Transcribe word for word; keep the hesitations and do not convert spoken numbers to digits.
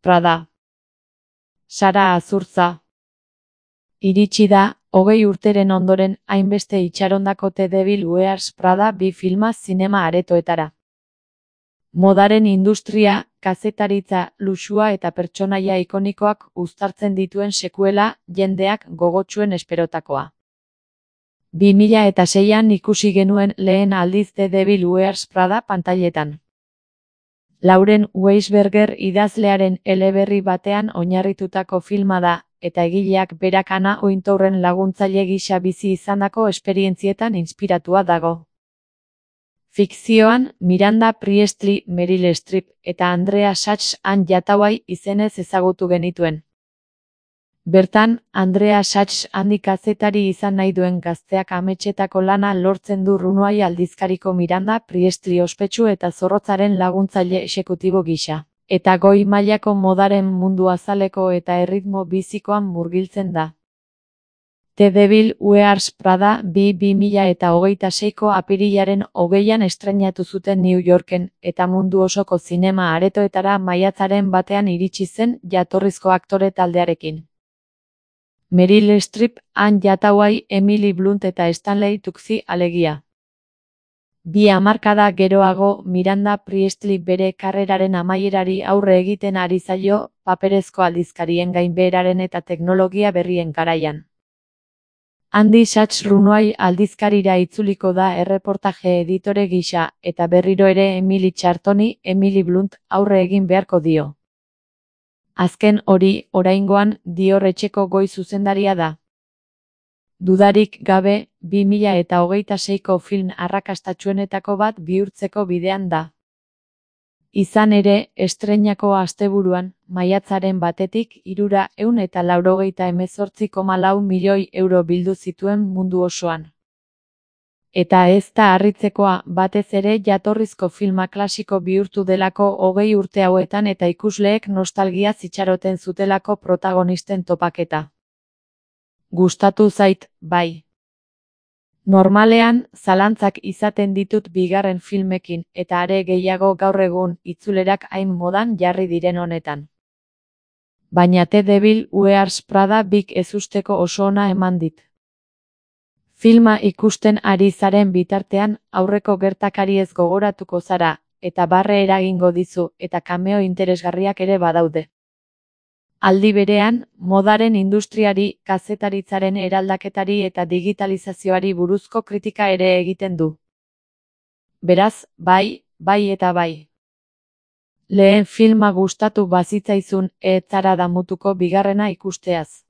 Prada. Sara Azurtza. Iritsi da, hogei urteren ondoren hainbeste itxarondako The Devil Wears Prada bi filma zinema aretoetara. Modaren industria, kazetaritza, luxua eta pertsonaia ikonikoak uztartzen dituen sekuela, jendeak gogotsuen esperotakoa. bi mila eta seian ikusi genuen lehen aldiz The Devil Wears Prada pantailetan. Lauren Weisberger idazlearen eleberri batean oinarritutako filma da, eta egileak berak Anna Wintourren laguntzaile gisa bizi izandako esperientzietan inspiratua dago. Fikzioan, Miranda Priestly, Meryl Streep eta Andrea Sachs Anne Hathaway izenez ezagutu genituen. Bertan, Andrea Sachs handi kazetari izan nahi duen gazteak ametsetako lana lortzen du Runway aldizkariko Miranda Priestly ospetsu eta zorrotzaren laguntzaile exekutibo gisa, eta goi mailako modaren mundu azaleko eta erritmo bizikoan murgiltzen da. The Devil Wears Prada bi bi mila eta hogeita seiko apirilaren hogeian estreinatu zuten New Yorken, eta mundu osoko zinema aretoetara maiatzaren batean iritsi zen jatorrizko aktore taldearekin. Meryl Streep, Anne Hathaway, Emily Blunt eta Stanley Tucci alegia. Bi hamarkada geroago, Miranda Priestly bere karreraren amaierari aurre egiten ari zaio, paperezko aldizkarien gainbeheraren eta teknologia berrien garaian. Andy Sachs Runway aldizkarira itzuliko da erreportaje editore gisa, eta berriro ere Emily Chartoni, Emily Blunt, aurre egin beharko dio. Azken hori, oraingoan, Dior etxeko goi zuzendaria da. Dudarik gabe, bi mila eta hogeita seiko film arrakastatsuenetako bat bihurtzeko bidean da. Izan ere, estreinako asteburuan, maiatzaren batetik hirura ehun eta laurogeita hemezortzi koma lau milioi euro bildu zituen mundu osoan. Eta ez da harritzekoa, batez ere jatorrizko filma klasiko bihurtu delako hogei urte hauetan eta ikusleek nostalgia zitxaroten zutelako protagonisten topaketa. Gustatu zait, bai. Normalean, zalantzak izaten ditut bigarren filmekin, eta are gehiago gaur egun, itzulerak hain modan jarri diren honetan. Baina The Devil Wears Prada bik ezusteko oso ona eman dit. Filma ikusten ari zaren bitartean, aurreko gertakariez gogoratuko zara, eta barre eragingo dizu, eta cameo interesgarriak ere badaude. Aldi berean, modaren industriari, kazetaritzaren eraldaketari eta digitalizazioari buruzko kritika ere egiten du. Beraz, bai, bai eta bai. Lehen filma gustatu bazitzaizun, ez zara damutuko bigarrena ikusteaz.